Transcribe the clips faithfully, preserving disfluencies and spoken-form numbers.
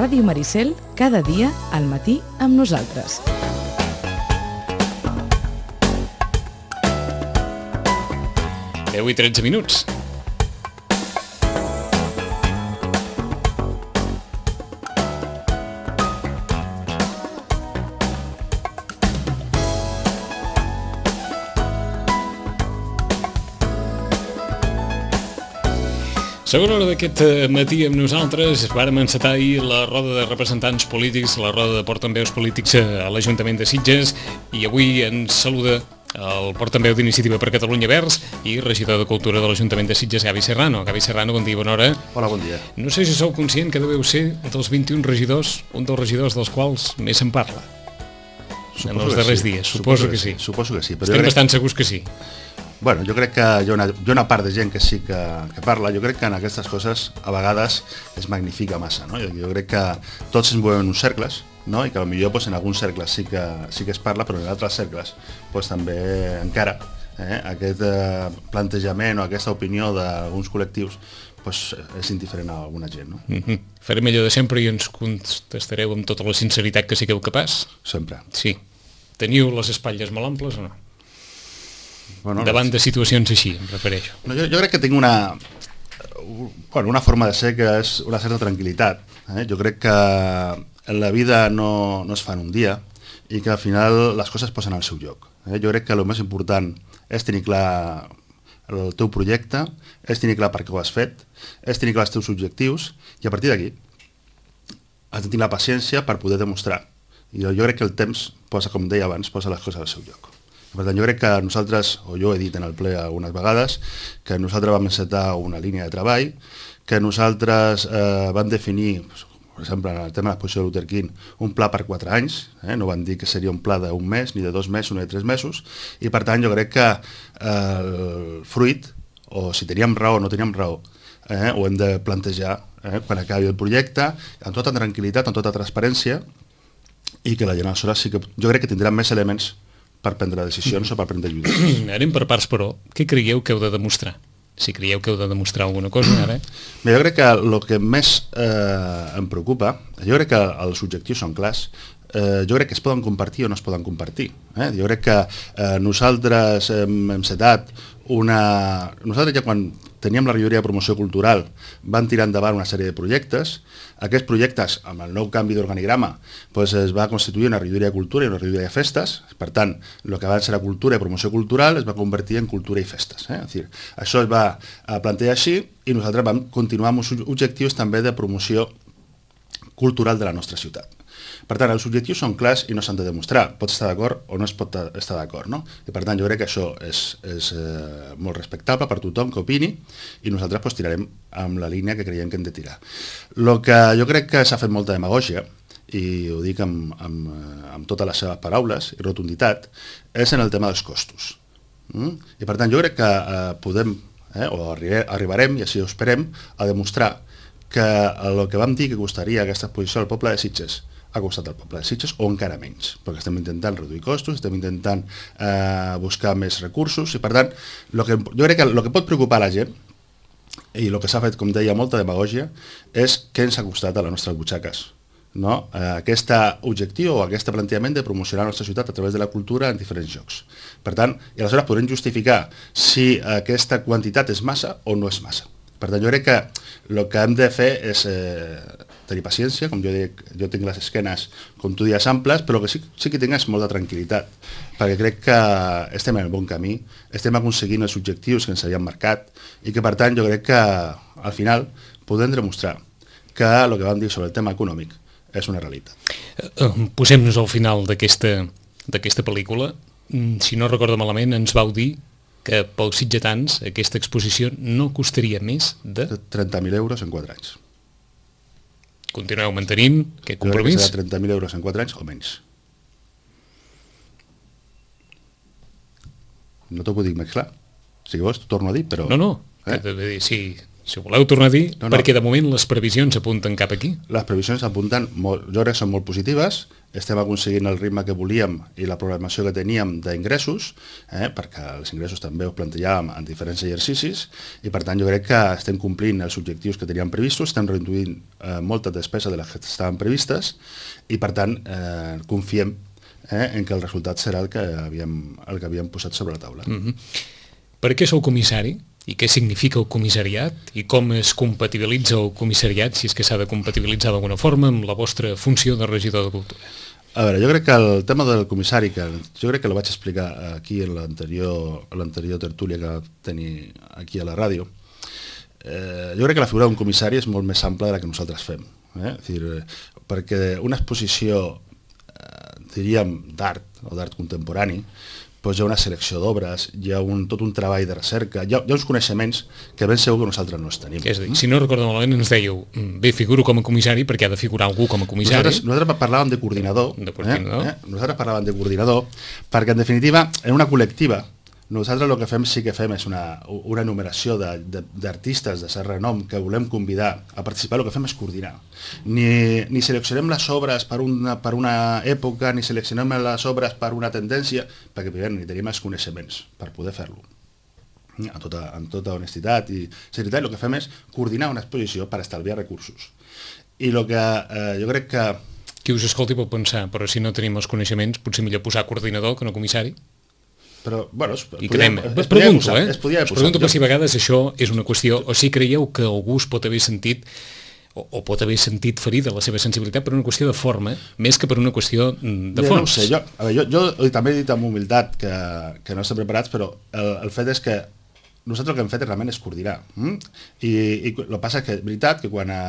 Ràdio Maricel, cada dia al matí amb nosaltres. deu i tretze minuts. Segona hora d'aquest matí amb nosaltres, vàrem encetar ahir la roda de representants polítics, la roda de portaveus polítics a l'Ajuntament de Sitges, i avui ens saluda el portaveu d'Iniciativa per Catalunya Verds i regidor de Cultura de l'Ajuntament de Sitges, Gavi Serrano. Gavi Serrano, bon dia, bona hora. Hola, bon dia. No sé si sou conscient que deveu ser dels vint-i-un regidors, un dels regidors dels quals més se'n parla Suposo en els que darrers sí. dies. Suposo, Suposo que, que sí. sí. Suposo que sí. Però Estem jo crec... bastant segurs que sí. Bueno, jo crec que hi ha, una, hi ha una part de gent que sí que, que parla. Jo crec que en aquestes coses a vegades es magnifica massa, no? Jo, jo crec que tots ens movem en uns cercles, no? I que potser pues, en alguns cercles sí que, sí que es parla, però en altres cercles pues, també encara eh, aquest eh, plantejament o aquesta opinió d'alguns col·lectius pues, és indiferent a alguna gent, no? Mm-hmm. Farem allò de sempre i ens contestareu amb tota la sinceritat que sigueu capaç? Sempre. Sí. Teniu les espatlles molt amples o no? Bueno, Davant de situacions així, em refereixo. No, jo, jo crec que tinc una, bueno, una forma de ser que és una certa tranquil·litat. Eh? Jo crec que en la vida no, no es fa en un dia i que al final les coses posen al seu lloc. Eh? Jo crec que el més important és tenir clar el teu projecte, és tenir clar per què ho has fet, és tenir clar els teus objectius i a partir d'aquí has de tenir la paciència per poder demostrar. I jo, jo crec que el temps posa, com deia abans, posa les coses al seu lloc. Per tant, jo crec que nosaltres, o jo he dit en el ple algunes vegades, que nosaltres vam encetar una línia de treball, que nosaltres eh, vam definir, per exemple, en el tema de l'exposició de Luther King, un pla per quatre anys, eh? No van dir que seria un pla d'un mes, ni de dos mesos, ni de tres mesos, i per tant jo crec que eh, el fruit, o si teníem raó o no teníem raó, eh, ho hem de plantejar eh, quan acabi el projecte, amb tota tranquil·litat, amb tota transparència, i que la gent aleshores sí que, jo crec que tindrà més elements per prendre decisions o per prendre lluites. Anem per parts, però. Què creieu que heu de demostrar? Si creieu que heu de demostrar alguna cosa, ara... Bé, jo crec que el que més eh, em preocupa, jo crec que els objectius són clars, eh, jo crec que es poden compartir o no es poden compartir. Eh? Jo crec que eh, nosaltres hem, hem setat una... Nosaltres ja quan teníem la regidoria de promoció cultural van tirar endavant una sèrie de projectes. Aquests projectes, amb el nou canvi d'organigrama, pues, es va constituir una regidoria de cultura i una regidoria de festes. Per tant, el que abans era cultura i promoció cultural es va convertir en cultura i festes. Eh? És dir, això es va plantejar així i nosaltres vam continuar amb uns objectius també de promoció cultural de la nostra ciutat. Per tant, els objectius són clars i no s'han de demostrar. Pots estar d'acord o no es pot estar d'acord, no? I per tant, jo crec que això és, és eh, molt respectable per tothom que opini i nosaltres pues, tirarem amb la línia que creiem que hem de tirar. El que jo crec que s'ha fet molta demagògia, i ho dic amb, amb, amb totes les seves paraules i rotunditat, és en el tema dels costos. Mm? I per tant, jo crec que eh, podem, eh, o arribe, arribarem, i així ho esperem, a demostrar que el que vam dir que costaria aquesta exposició al poble de Sitges ha costat al poble de Sitges o encara menys, perquè estem intentant reduir costos, estem intentant eh, buscar més recursos i per tant, lo que, jo crec que el que pot preocupar la gent i el que s'ha fet, com deia, molta demagògia és què ens ha costat a les nostres butxaques. No? Eh, aquest objectiu o aquest plantejament de promocionar la nostra ciutat a través de la cultura en diferents llocs. Per tant, i aleshores podrem justificar si aquesta quantitat és massa o no és massa. Per tant, jo crec que el que hem de fer és eh, tenir paciència, com jo dic, jo tinc les esquenes, com tu dius, amples, però que sí, sí que tingues molta tranquil·litat, perquè crec que estem en el bon camí, estem aconseguint els objectius que ens havíem marcat i que, per tant, jo crec que al final podem demostrar que el que vam dir sobre el tema econòmic és una realitat. Posem-nos al final d'aquesta d'aquesta pel·lícula. Si no recordo malament, ens vau dir que pels sitgetans aquesta exposició no costaria més de... trenta mil euros en quatre anys. Continueu mantenint aquest compromís? Jo crec que serà trenta mil euros en quatre anys o menys. No t'ho puc dir més clar. Si vols, t'ho torno a dir, però... No, no. Eh? Si, Si ho voleu tornar a dir, no, no. perquè de moment les previsions apunten cap aquí. Les previsions apunten, molt, jo crec que són molt positives, estem aconseguint el ritme que volíem i la programació que teníem d'ingressos, eh, perquè els ingressos també els plantejàvem en diferents exercicis, i per tant jo crec que estem complint els objectius que teníem previstos, estem reduint eh, molta despesa de les que estaven previstes, i per tant eh, confiem eh, en que el resultat serà el que havíem, el que havíem posat sobre la taula. Mm-hmm. Per què sou comissari? I què significa el comissariat? I com es compatibilitza el comissariat, si és que s'ha de compatibilitzar d'alguna forma, amb la vostra funció de regidor de Cultura? A veure, jo crec que el tema del comissari, que jo crec que el vaig explicar aquí en l'anterior l'anterior tertúlia que va tenir aquí a la ràdio, eh, jo crec que la figura d'un comissari és molt més ampla de la que nosaltres fem. Eh? És dir, perquè una exposició, eh, diríem, d'art o d'art contemporani, doncs hi ha una selecció d'obres, hi ha un, tot un treball de recerca, hi ha, hi ha uns coneixements que ben segur que nosaltres no els tenim. És a dir, si no recordo malament ens dèieu, bé, figuro com a comissari perquè ha de figurar algú com a comissari. Nosaltres, nosaltres parlàvem de coordinador, de coordinador. Eh? Eh? Nosaltres parlàvem de coordinador perquè en definitiva en una col·lectiva nosaltres el que fem sí que fem és una, una enumeració d'artistes de, de, de cert renom que volem convidar a participar, el que fem és coordinar. Ni, ni seleccionem les obres per una, per una època, ni seleccionem les obres per una tendència, perquè primer ni tenim els coneixements per poder fer-lo. Amb tota, amb tota honestitat i seriositat, el que fem és coordinar una exposició per estalviar recursos. I el que eh, jo crec que... Qui us escolti pot pensar, però si no tenim els coneixements, potser millor posar coordinador que no comissari? Però, bueno, es, I quedem, es pregunto, eh? Es pregunto per si a vegades això és una qüestió, o si creieu que algú es pot haver sentit o, o pot haver sentit ferida la seva sensibilitat per una qüestió de forma, més que per una qüestió de fons. Ja no ho sé, jo, a veure, jo, jo també he dit amb humilitat que, que no estem preparats, però el, el fet és que nosaltres el que hem fet realment és coordinar. Mm? I, i el que passa és que és veritat que quan a,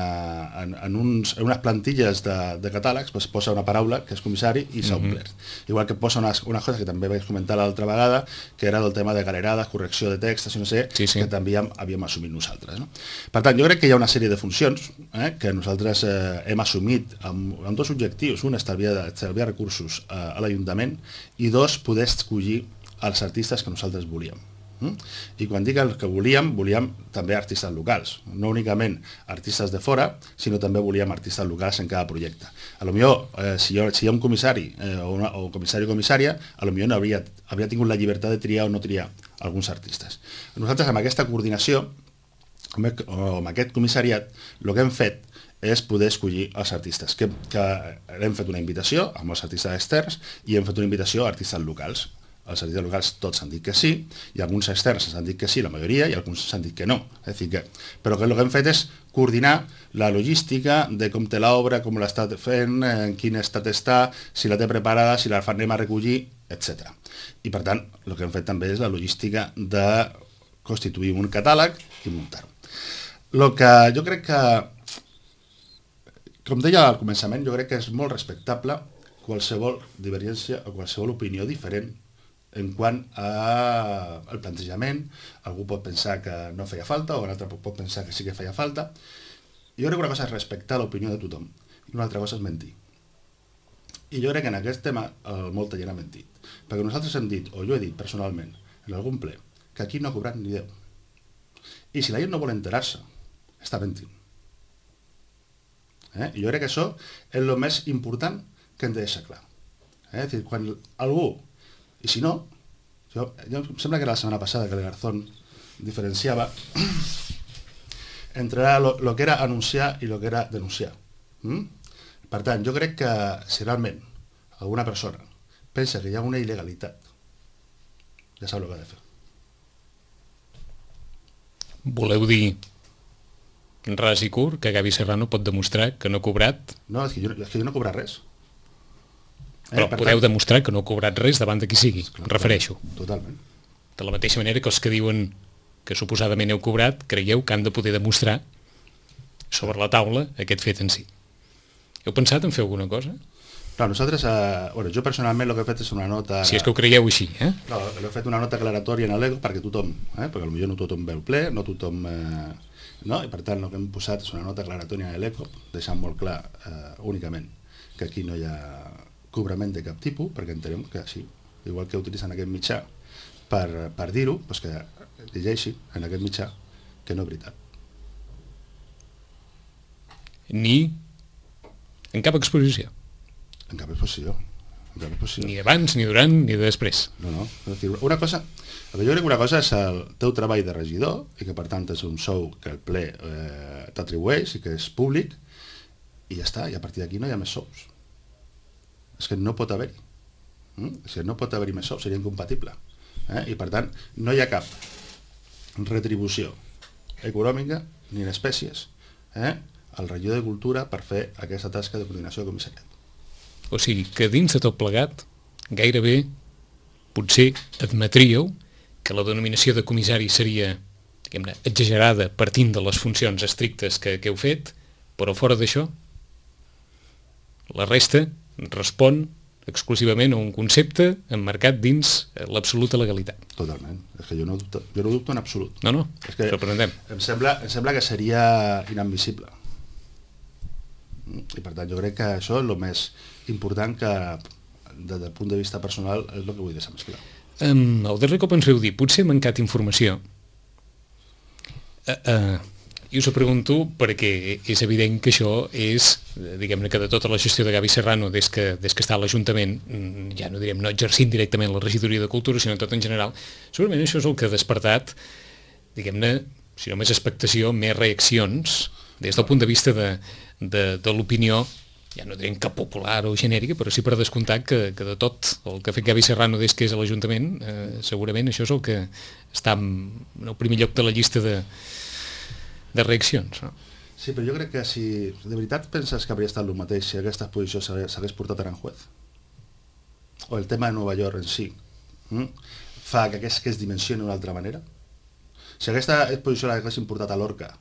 en, en, uns, en unes plantilles de, de catàlegs pues, posa una paraula que és comissari i s'ha omplert. Mm-hmm. Igual que posa unes, unes coses que també vaig comentar l'altra vegada, que era del tema de galerades, correcció de textos, no sé, sí, sí. que també havíem, havíem assumit nosaltres. No? Per tant, jo crec que hi ha una sèrie de funcions eh, que nosaltres eh, hem assumit amb, amb dos objectius. Un, estalviar, estalviar recursos eh, a l'Ajuntament, i dos, poder escollir els artistes que nosaltres volíem. I quan dic el que volíem, volíem també artistes locals, no únicament artistes de fora, sinó també volíem artistes locals en cada projecte. A lo millor, eh, si, hi ha, si hi ha un comissari eh, o, una, o comissari o comissària, a lo millor no hauria, hauria tingut la llibertat de triar o no triar alguns artistes. Nosaltres amb aquesta coordinació, o amb aquest comissariat, el que hem fet és poder escollir els artistes, que, que hem fet una invitació amb els artistes externs i hem fet una invitació a artistes locals. Els artistes locals tots han dit que sí, i alguns externs s'han dit que sí, la majoria, i alguns s'han dit que no. És dir que, però que el que hem fet és coordinar la logística de com té l'obra, com l'està fent, en quin estat està, si la té preparada, si la anem a recollir, etcètera. I per tant, el que hem fet també és la logística de constituir un catàleg i muntar-ho. El que jo crec que, com deia al començament, jo crec que és molt respectable qualsevol divergència o qualsevol opinió diferent en quant al plantejament. Algú pot pensar que no feia falta, o un altre pot pensar que sí que feia falta. Jo crec que una cosa és respectar l'opinió de tothom, i una altra cosa és mentir. I jo crec que en aquest tema el, molta gent ha mentit. Perquè nosaltres hem dit, o jo he dit personalment, en algun ple, que aquí no ha cobrat ni Déu. I si la gent no vol enterar-se, està mentint. Eh? I jo crec que això és el més important que hem de deixar clar. Eh? És dir, quan algú... I si no, jo, jo, em sembla que era la setmana passada que el Garzón diferenciava entre lo, lo que era anunciar i lo que era denunciar. Mm? Per tant, jo crec que si realment alguna persona pensa que hi ha una il·legalitat, ja sap el que ha de fer. Voleu dir ras i curt que Gavi Serrano pot demostrar que no ha cobrat? No, és que jo, és que jo no he cobrat res. Però eh, podeu tant... demostrar que no ha cobrat res davant de qui sigui, Esclar, em refereixo. Totalment. De la mateixa manera que els que diuen que suposadament heu cobrat, creieu que han de poder demostrar sobre la taula aquest fet en si. Heu pensat en fer alguna cosa? No, nosaltres, eh, bueno, jo personalment el que he fet és una nota... Si és que ho creieu així, eh? No, he fet una nota aclaratòria en l'ego perquè tothom, eh, perquè potser no tothom veu ple, no tothom... Eh, no? I per tant el que hem posat és una nota aclaratòria en l'ego, deixant molt clar eh, únicament que aquí no hi ha cobrament de cap tipus, perquè entenem que sí, igual que utilitzen aquest mitjà per, per dir-ho, doncs que llegeixi en aquest mitjà que no és veritat. ni en cap exposició. En cap exposició. En cap exposició. Ni abans, ni durant, ni després. No, no. Una cosa, jo crec que una cosa és el teu treball de regidor, i que per tant és un sou que el ple eh, t'atribueix i que és públic, i ja està, i a partir d'aquí no hi ha més sous. És que no pot haver-hi. Mm? És que no pot haver-hi més sous, seria incompatible. Eh? I per tant, no hi ha cap retribució econòmica ni en espècies eh? al regidor de Cultura per fer aquesta tasca de coordinació de comissariat. O sigui que dins de tot plegat, gairebé potser admetríeu que la denominació de comissari seria, diguem-ne, exagerada partint de les funcions estrictes que, que heu fet, però fora d'això, la resta respon exclusivament a un concepte emmarcat dins l'absoluta legalitat. Totalment. És que jo no dubto, jo no dubto en absolut. No, no, és que sorprendem. Em sembla, em sembla que seria inadmissible. I per tant jo crec que això és el més important que des del punt de vista personal és el que vull deixar més clar. Um, el darrer cop ens veu dir, potser he mancat informació. Uh, uh, i us ho pregunto perquè és evident que això és, diguem-ne que de tota la gestió de Gavi Serrano des que, des que està a l'Ajuntament, ja no direm no exercint directament la regidoria de Cultura, sinó tot en general, segurament això és el que ha despertat, diguem-ne, si no més expectació, més reaccions des del punt de vista de, de, de l'opinió, ja no direm que popular o genèrica, però sí per descomptar que, que de tot el que ha fet Gavi Serrano des que és a l'Ajuntament, eh, segurament això és el que està en el primer lloc de la llista de, de reaccions. No? Sí, però jo crec que si de veritat penses que hauria estat el mateix si aquesta exposició s'hagués portat a Aranjuez, o el tema de Nova York en si, hm? fa que es, que es dimensioni d'una altra manera. Si aquesta exposició l'haguessin portat a Lorca,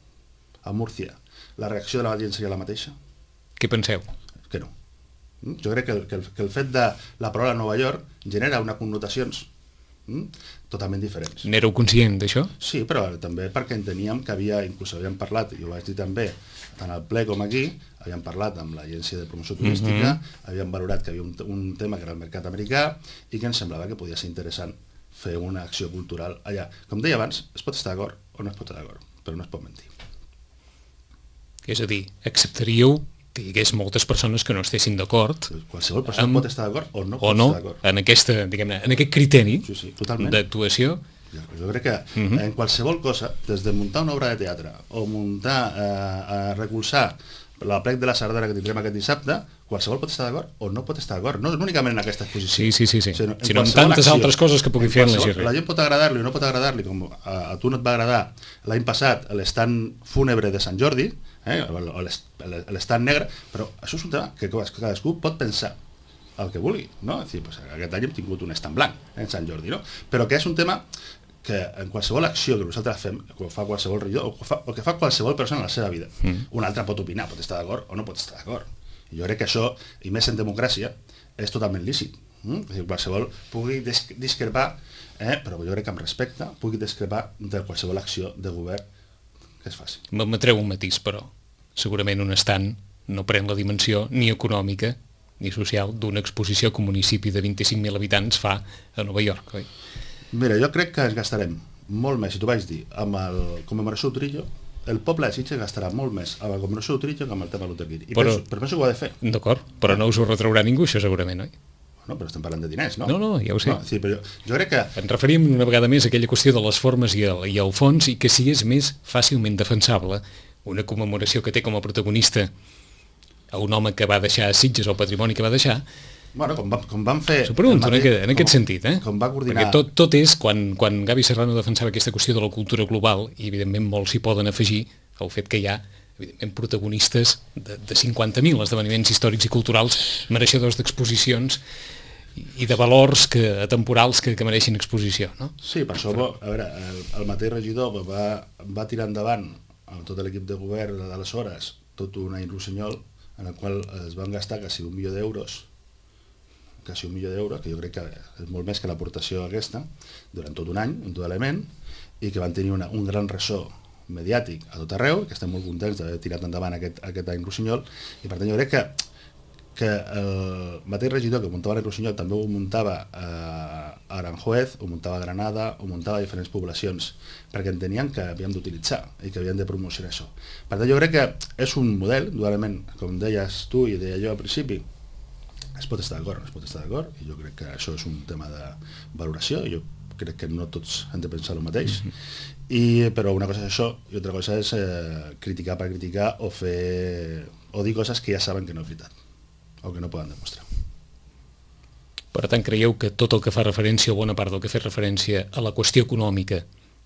a Múrcia, la reacció de la gent seria la mateixa? Què penseu? Que no. Jo crec que el, que el, que el fet de la paraula Nova York genera unes connotacions mm, totalment diferents. N'éreu conscient d'això? Sí, però també perquè enteníem que havia, inclús havíem parlat, i ho vaig dir també, tant al ple com aquí, havíem parlat amb l'agència de promoció turística, mm-hmm. havíem valorat que havia un, un tema que era el mercat americà i que ens semblava que podia ser interessant fer una acció cultural allà. Com deia abans, es pot estar d'acord o no es pot estar d'acord, però no es pot mentir. És a dir, acceptaríeu que hi hagués moltes persones que no estessin d'acord. Qualsevol persona amb, pot estar d'acord o no o pot no, estar d'acord. En, aquesta, diguem-ne, en aquest criteri sí, sí, d'actuació. Jo, jo crec que uh-huh. en qualsevol cosa, des de muntar una obra de teatre o muntar, eh, a recolzar la plec de la Sardana que tindrem aquest dissabte, qualsevol pot estar d'acord o no pot estar d'acord. No únicament en aquesta exposició. Sí, sí, sí, sí. Sinó, sinó en tantes acció, altres coses que pugui fer en la G R. La gent pot agradar-li o no pot agradar-li, com a, a tu no et va agradar l'any passat l'estant fúnebre de Sant Jordi, eh, o l'estant negre, però això és un tema que cadascú pot pensar el que vulgui, no? És dir, pues, aquest any hem tingut un estant blanc eh, en Sant Jordi, no? Però que és un tema que en qualsevol acció que nosaltres fem, que fa qualsevol regidor, o que fa, o que fa qualsevol persona en la seva vida, mm. un altre pot opinar, pot estar d'acord o no pot estar d'acord. I jo crec que això, i més en democràcia, és totalment lícit. Mm? És dir, qualsevol pugui discrepar, eh? però jo crec que amb respecte pugui discrepar de qualsevol acció de govern que es faci. M'admetreu un matís, però segurament un estant no pren la dimensió ni econòmica ni social d'una exposició que un municipi de vint-i-cinc mil habitants fa a Nova York, oi? Mira, jo crec que ens gastarem molt més, si t'ho vaig dir, amb el commemoració d'Utrillo, el poble de Sitges gastarà molt més amb la commemoració d'Utrillo que amb el tema de l'Uterguiri. I però, penso, però penso que ho ha de fer. D'acord, però no us ho retraurà ningú, això segurament, oi? No, però estem parlant de diners, no? No, no, ja ho sé. No, sí, però jo, jo crec que... Ens referim una vegada més a aquella qüestió de les formes i el, i el fons i que si és més fàcilment defensable una commemoració que té com a protagonista a un home que va deixar a Sitges o el patrimoni que va deixar. Bueno, com, va, com van fer... S'ho pregunto en, aquest, en aquest com, sentit, eh? Com va coordinar... Perquè tot, tot és, quan, quan Gavi Serrano defensava aquesta qüestió de la cultura global, i evidentment molts s'hi poden afegir el fet que hi ha evidentment protagonistes de, de cinquanta mil esdeveniments històrics i culturals mereixedors d'exposicions i de valors que, atemporals que, que mereixin exposició, no? Sí, per això, a veure, el, el mateix regidor va, va tirar endavant amb tot l'equip de govern d'aleshores tot un any rossinyol en el qual es van gastar quasi un milió d'euros quasi un milió d'euros, que jo crec que és molt més que l'aportació aquesta, durant tot un any, en tot element, i que van tenir una, un gran ressò mediàtic a tot arreu, que estem molt contents d'haver tirat endavant aquest, aquest any rossinyol, i per tant jo crec que, que el mateix regidor que muntava l'any rossinyol també ho muntava eh, a Aranjuez, ho muntava a Granada, ho muntava a diferents poblacions, perquè entenien que havíem d'utilitzar i que havíem de promocionar això. Per tant, jo crec que és un model, dualment, com deies tu i deia jo al principi, es pot estar d'acord, no es pot estar d'acord, i jo crec que això és un tema de valoració, i jo crec que no tots hem de pensar el mateix, i, però una cosa és això i altra cosa és eh, criticar per criticar o fer o dir coses que ja saben que no és veritat o que no poden demostrar. Per tant, creieu que tot el que fa referència, o bona part del que fa referència a la qüestió econòmica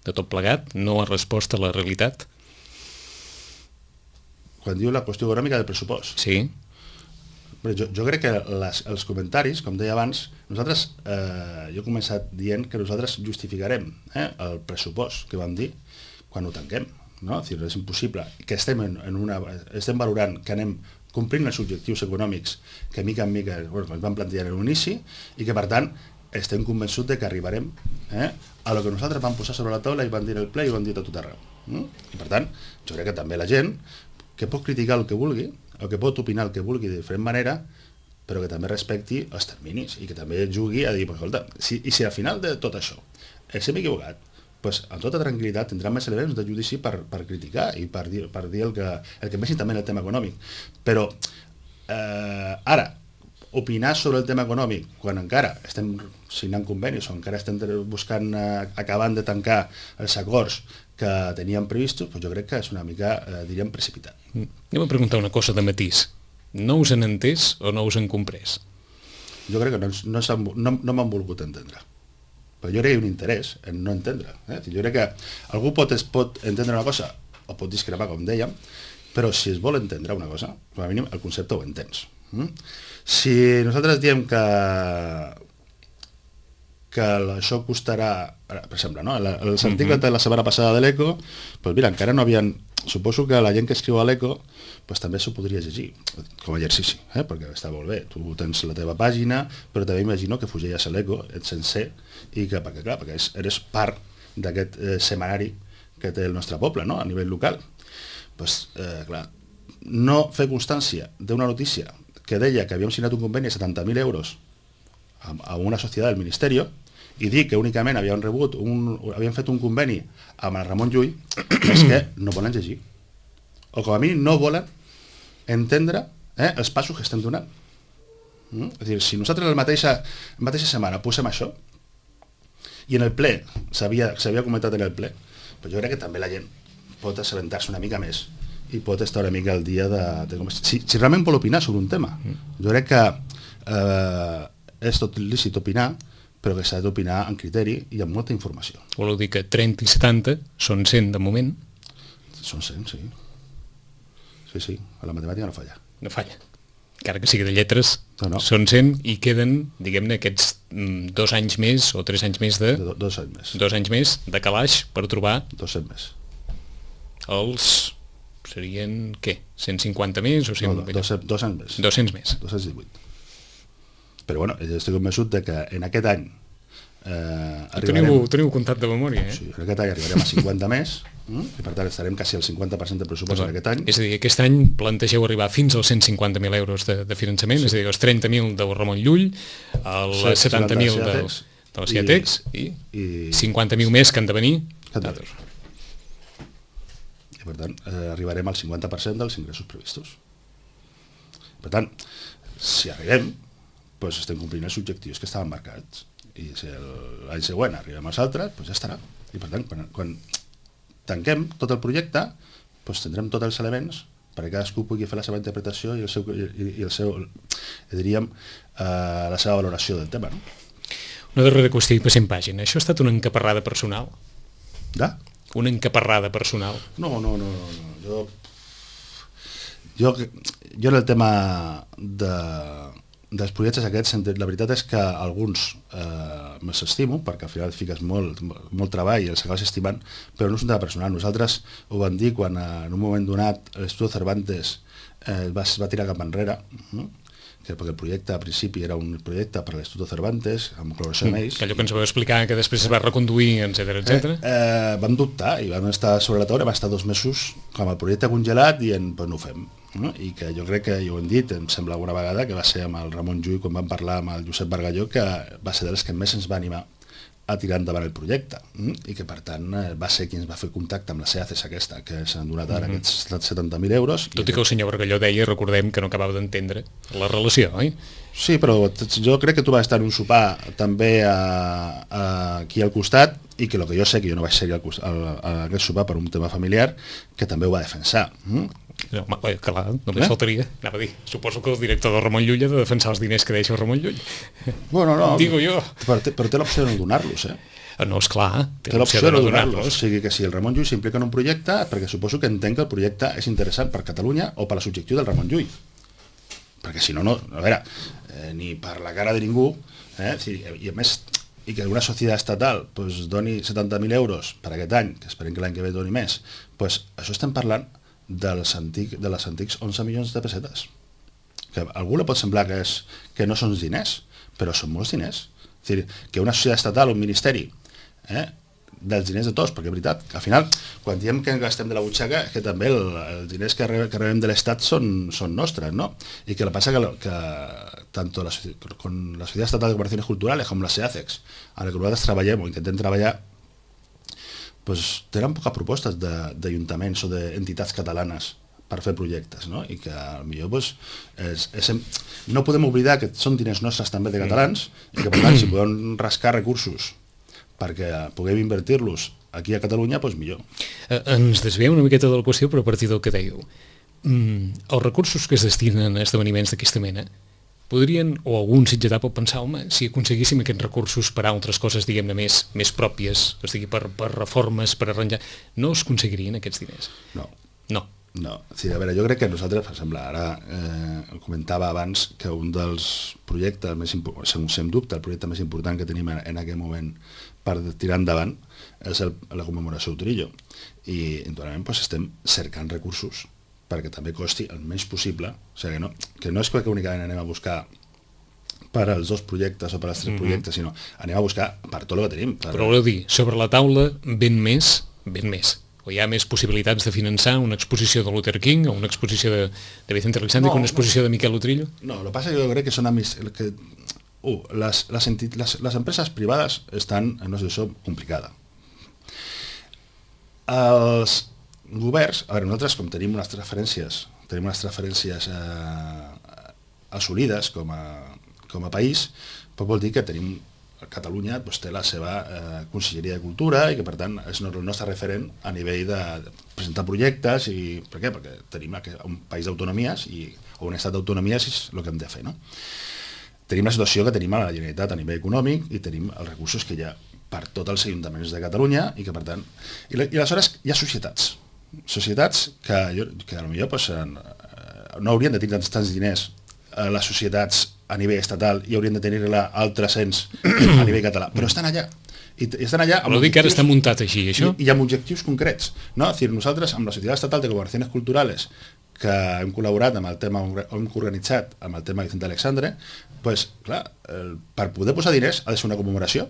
de tot plegat, no ha respost a la realitat? Quan diu la qüestió econòmica del pressupost? Sí. Jo, jo crec que les, els comentaris, com deia abans, nosaltres, eh, jo he començat dient que nosaltres justificarem eh, el pressupost que vam dir quan ho tanquem, no? És, dir, és impossible que estem, en, en una, estem valorant que anem complint els objectius econòmics que mica en mica bueno, ens van plantejar en l'inici i que per tant estem convençuts de que arribarem eh, a lo que nosaltres vam posar sobre la taula i vam dir el ple i ho vam dir a tot arreu. Mm? I per tant, jo crec que també la gent que pot criticar el que vulgui o que pot opinar el que vulgui de diferent manera, però que també respecti els terminis i que també jugui a dir, pues, escolta, si, i si al final de tot això ens hem equivocat, pues, amb tota tranquil·litat tindran més elements de judici per, per criticar i per dir, per dir el que, el que pensin també en el tema econòmic. Però eh, ara, opinar sobre el tema econòmic quan encara estem signant convenis o encara estem buscant, eh, acabant de tancar els acords que teníem previstos, pues jo crec que és una mica, eh, diríem, precipitat. Mm. Anem a preguntar una cosa de matís. No us han entès o no us han comprès? Jo crec que no, no, no, no m'han volgut entendre. Però jo crec que hi ha un interès en no entendre. Eh? Jo crec que algú pot, es pot entendre una cosa o pot discrepar, com dèiem, però si es vol entendre una cosa, com a mínim el concepte ho entens. Mm? Si nosaltres diem que que això costarà, per exemple, no? els articles de la setmana passada de l'Eco, doncs mira, encara no havien... Suposo que la gent que escriu a l'Eco pues, també s'ho podria llegir, com a exercici, eh? Perquè està molt bé, tu tens la teva pàgina, però també imagino que fugeies a l'Eco, ets sencer, i que, perquè clar, perquè eres part d'aquest eh, semanari que té el nostre poble, no? A nivell local. Pues, eh, clar, no fer constància d'una notícia que deia que havíem signat un conveni de setanta mil euros a, a una societat del Ministeri i dir que únicament havien rebut un, havien fet un conveni amb el Ramon Llull, és que no volen llegir. O com a mínim no volen entendre eh, els passos que estem donant. Mm? És a dir, si nosaltres la mateixa, la mateixa setmana posem això, i en el ple, s'havia comentat en el ple, però jo crec que també la gent pot assabentar-se una mica més i pot estar una mica al dia de... de com, si, si realment vol opinar sobre un tema. Jo crec que eh, és tot lícit opinar, però que s'ha d'opinar en criteri i amb molta informació. Voleu dir que trenta i setanta són cent de moment? Són cent, sí. Sí, sí, a la matemàtica no falla. No falla. Encara que sigui de lletres, no, no. Són cent i queden, diguem-ne, aquests mm, dos anys més o tres anys més de... de do, dos anys més. Dos anys més de calaix per trobar... dos-cents més. Els... serien, què? cent cinquanta més o cent... No, no, dos, dos anys més. dos-cents més. dos-cents divuit. Però bueno, estic convençut de que en aquest any eh, arribarem... Teniu, teniu comptat de memòria, eh? Sí, en aquest any arribarem a cinquanta més, mm? i per tant estarem quasi al cinquanta per cent del pressupost en aquest any. És a dir, aquest any plantegeu arribar fins als cent cinquanta mil euros de, de finançament, sí. És a dir, els trenta mil del Ramon Llull, els sí, setanta mil de, de la Ciatex i, i, i cinquanta mil més que han de venir d'altres. I per tant, eh, arribarem al cinquanta per cent dels ingressos previstos. Per tant, si arribem, doncs estem complint els objectius que estaven marcats. I si l'any següent arribem als altres, doncs ja estarà. I per tant, quan, quan tanquem tot el projecte, doncs tindrem tots els elements perquè cadascú pugui fer la seva interpretació i el seu, i, i el seu diríem, eh, la seva valoració del tema. No? Una darrera qüestió i passem pàgina. Això ha estat una encaparrada personal? De? Una encaparrada personal? No, no, no. no. Jo, jo, jo en el tema de... dels projectes aquests, la veritat és que alguns eh, me'ls estimo, perquè al final et fiques molt, molt treball i els acabes estimant, però no és un tema personal. Nosaltres ho vam dir quan en un moment donat l'Estudio Cervantes eh, va, es va tirar cap enrere, no? Que perquè el projecte a principi era un projecte per a l'Estudio Cervantes, amb col·laboració amb ells. Que allò que ens vau explicar, que després es va reconduir, etcètera, etcètera. Eh, eh, vam dubtar i vam estar sobre la taula, vam estar dos mesos com el projecte congelat i en, pues, no ho fem. No? I que jo crec que, ja ho hem dit, em sembla alguna vegada que va ser amb el Ramon Llull quan vam parlar amb el Josep Bargalló, que va ser dels que més ens va animar a tirar endavant el projecte, mm? I que per tant va ser qui ens va fer contacte amb la SEACES aquesta, que s'han donat ara mm-hmm. aquests setanta mil euros. Tot i que el senyor Bargalló deia, recordem que no acabava d'entendre la relació, oi? Sí, però jo crec que tu vas estar en un sopar també a, a, aquí al costat i que el que jo sé, que jo no vaig ser al, al, a aquest sopar per un tema familiar, que també ho va defensar. Mm? No, home, clar, només eh? faltaria, anava a dir, suposo que el director de Ramon Llull ha de defensar els diners que deixa Ramon Llull. Bueno, no, digo jo. Però té, però té l'opció de no donar-los, eh? No, esclar, té, té l'opció de no donar-los. O sigui que si el Ramon Llull s'implica en un projecte, perquè suposo que entenc que el projecte és interessant per Catalunya o per la subjectiu del Ramon Llull. Perquè si no, no, a veure, eh, ni per la cara de ningú, eh? Sí, i a més, i que una societat estatal pues, doni setanta mil euros per aquest any, que esperem que l'any que ve doni més, pues, això estem parlant dels antic, de les antics onze milions de pessetes. Que a algú li pot semblar que, és, que no són diners, però són molts diners. És a dir, que una societat estatal, un ministeri, eh, dels diners de tots, perquè és veritat, que al final, quan diem que gastem de la butxaca, que també el, els diners que, re, que rebem de l'Estat són, són nostres, no? I que el que passa que, que tant la, con la Societat Estatal de Cooperacions Culturales com la SEACEX, a la que nosaltres treballem o intentem treballar, pues, tenen poques propostes d'ajuntaments o d'entitats catalanes per fer projectes, no? I que potser pues, és, és, no podem oblidar que són diners nostres també de catalans i que per tant si podem rascar recursos perquè puguem invertir-los aquí a Catalunya, doncs millor. Eh, ens desviem una miqueta de la qüestió, però a partir del que dèieu. Mm, els recursos que es destinen a esdeveniments d'aquesta mena podrien, o algun sitgetà pot pensar, home, si aconseguíssim aquests recursos per a altres coses, diguem-ne, més, més pròpies, o sigui, per, per reformes, per arranjar, no es aconseguirien aquests diners? No. No. No. Sí, a veure, jo crec que nosaltres, per exemple, ara eh, comentava abans que un dels projectes més importants, sense dubte, el projecte més important que tenim en, en aquest moment per tirar endavant és el, la commemoració d'Utrillo. I, naturalment, doncs, estem cercant recursos perquè també costi el menys possible, o sigui, que no, que no és que únicament anem a buscar per als dos projectes o per als tres mm-hmm. projectes, sinó anem a buscar per tot el que tenim. Per... Però voleu dir, sobre la taula ben més, ben més, o hi ha més possibilitats de finançar una exposició de Luther King o una exposició de, de Vicente Alexandre no, o una exposició no. de Miquel Utrillo? No, el que passa és que jo crec que són amis, que, uh, les, les, entit, les, les empreses privades estan en una situació complicada. Els governs, a veure, nosaltres com tenim unes transferències, tenim unes transferències eh, assolides com a, com a país, però vol dir que tenim, Catalunya doncs, té la seva eh, Conselleria de Cultura i que per tant és el nostre referent a nivell de presentar projectes i per què? Perquè tenim un país d'autonomies i, o un estat d'autonomies és el que hem de fer, no? Tenim la situació que tenim a la Generalitat a nivell econòmic i tenim els recursos que hi ha per tots els ajuntaments de Catalunya i que per tant... I, i aleshores hi ha societats, societats que, jo, que potser pues, no haurien de tenir tants, tants diners a les societats a nivell estatal i haurien de tenir-la altres ens a nivell català, però estan allà i, i estan allà amb objectius, que ara està muntat així, això? I, i amb objectius concrets, no? És dir, nosaltres amb la Societat Estatal de Cooperacions Culturales que hem col·laborat amb el tema, hem organitzat amb el tema Vicente Alexandre, pues, clar, el, per poder posar diners ha de ser una commemoració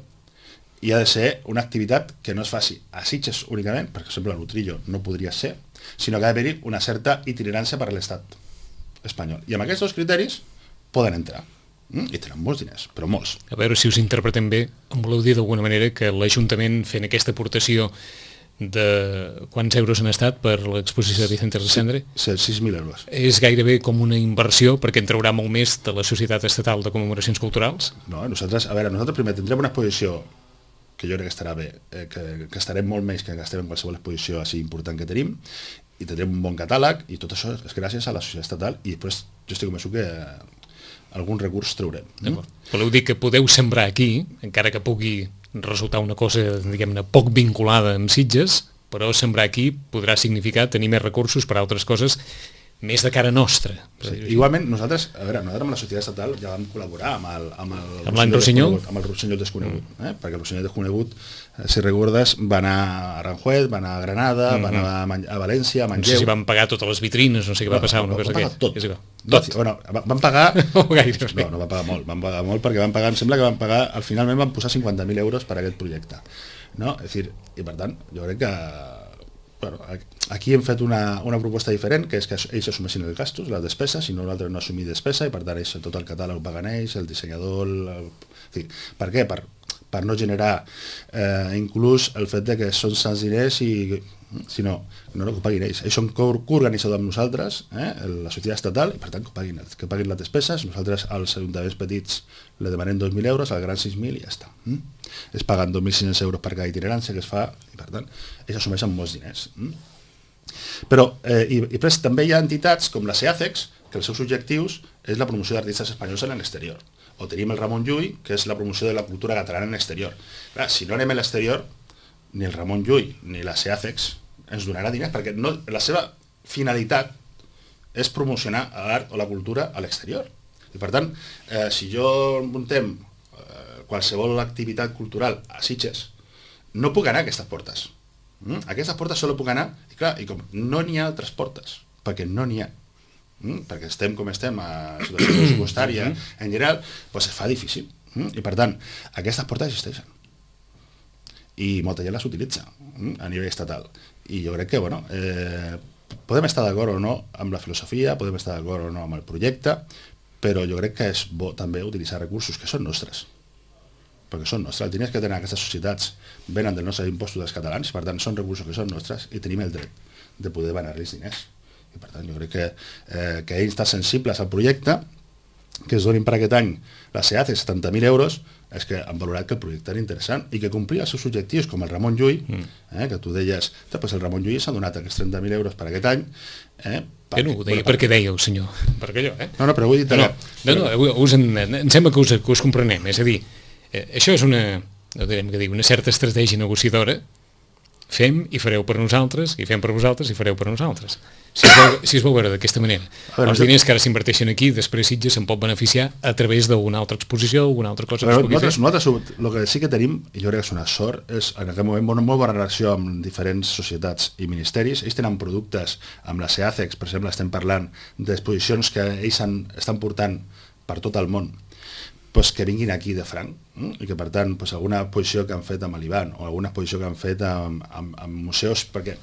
i ha de ser una activitat que no es faci a Sitges únicament, perquè, per exemple, l'Utrillo no podria ser, sinó que ha d'haver-hi una certa itinerància per a l'estat espanyol. I amb aquests dos criteris poden entrar. Mm? I tenen molts diners, però molts. A veure si us interpretem bé, em voleu dir d'alguna manera que l'Ajuntament fent aquesta aportació de quants euros han estat per l'exposició de Vicente Alexandre? Sí, sis mil euros. És gairebé com una inversió perquè en traurà molt més de la Societat Estatal de Commemoracions Culturals? No, nosaltres, a veure, nosaltres primer tindrem una exposició que jo crec que estarà bé, eh, que, que estarem molt més que gastem en qualsevol exposició així important que tenim, i tindrem un bon catàleg, i tot això és gràcies a la Societat Estatal, i després jo estic convençut que algun recurs traurem. Mm? Voleu dir que podeu sembrar aquí, encara que pugui resultar una cosa, diguem-ne, poc vinculada amb Sitges, però sembrar aquí podrà significar tenir més recursos per a altres coses més de cara nostra. Sí, igualment, nosaltres, a veure, nosaltres amb la Societat Estatal ja vam col·laborar amb el, amb el, amb l'any Rossinyol, amb el Rossinyol Desconegut, mm. eh? perquè el Rossinyol Desconegut, eh, si recordes, va anar a Aranjuez, va anar a Granada, mm-hmm. va anar a, a València, a Manlleu... No sé si van pagar totes les vitrines, no sé què va passar, una cosa que... Tot, tot. Bueno, van pagar... no, gaire, no, no van pagar molt, van pagar molt perquè van pagar, em sembla que van pagar, al finalment van posar cinquanta mil euros per a aquest projecte, no? És dir, i per tant, jo crec que bueno, aquí hem fet una, una proposta diferent, que és que ells assumeixin els gastos, les despeses, i nosaltres no assumir despesa, i per tant ells, tot el catàleg ho paguen ells, el dissenyador... El, el... Sí. Per què? Per, per no generar eh, inclús el fet de que són tants diners i sinó no, no que ho paguin ells. Ells són coorganitzadors amb nosaltres, eh, la societat estatal, i per tant que ho paguin, que paguin les despeses. Nosaltres als ajuntaments petits le demanem dos mil euros, al gran sis mil i ja està. Mm? Es paguen dos mil cinc-cents euros per cada itinerància que es fa i per tant ells assumeixen molts diners. Mm? Però, eh, i, i després també hi ha entitats com la SEACEX, que els seus objectius és la promoció d'artistes espanyols en l'exterior. O tenim el Ramon Llull, que és la promoció de la cultura catalana en l'exterior. Clar, si no anem a l'exterior, ni el Ramon Llull ni la SEACEX ens donarà diners, perquè no, la seva finalitat és promocionar l'art o la cultura a l'exterior. I per tant, eh, si jo muntem eh, qualsevol activitat cultural a Sitges, no puc anar a aquestes portes. Mm? A aquestes portes solo puc anar, i clar, i com no n'hi ha altres portes, perquè no n'hi ha, mm? perquè estem com estem a situació pressupostària en general, doncs es fa difícil. Mm? I per tant, aquestes portes existeixen. I molta gent les utilitza mm? a nivell estatal. I jo crec que, bueno, eh, podem estar d'acord o no amb la filosofia, podem estar d'acord o no amb el projecte, però jo crec que és bo també utilitzar recursos que són nostres, perquè són nostres. Els diners que tenen aquestes societats venen dels nostres impostos dels catalans, per tant són recursos que són nostres i tenim el dret de poder donar-los diners. I per tant jo crec que, eh, que ells estan sensibles al projecte, que es donin per aquest any la SEACEX setanta mil euros, és que han valorat que el projecte era interessant i que complia els seus objectius, com el Ramon Llull, eh, que tu deies, pues el Ramon Llull s'ha donat aquests trenta mil euros per aquest any. Eh, per, que no ho deia perquè dèieu, senyor, perquè jo, eh? No, no, però vull dir... No, no, no, no us en, em sembla que us, que us comprenem, és a dir, eh, això és una, no direm que dir, una certa estratègia negociadora, fem i fareu per nosaltres, i fem per vosaltres i fareu per nosaltres. Si es veu, si es veu veure d'aquesta manera, veure, els diners que ara s'inverteixen aquí, després Sitges se'n pot beneficiar a través d'una altra exposició o alguna altra cosa que es pugui nosaltres, fer. Nosaltres, el que sí que tenim, i jo crec que és una sort, és en aquest moment molt, molt bona relació amb diferents societats i ministeris. Ells tenen productes, amb la SEACEX, per exemple, estem parlant d'exposicions que ells han, estan portant per tot el món, pues que vinguin aquí de franc, eh? I que per tant pues, alguna exposició que han fet amb l'Ivan o alguna exposició que han fet amb, amb, amb museus, perquè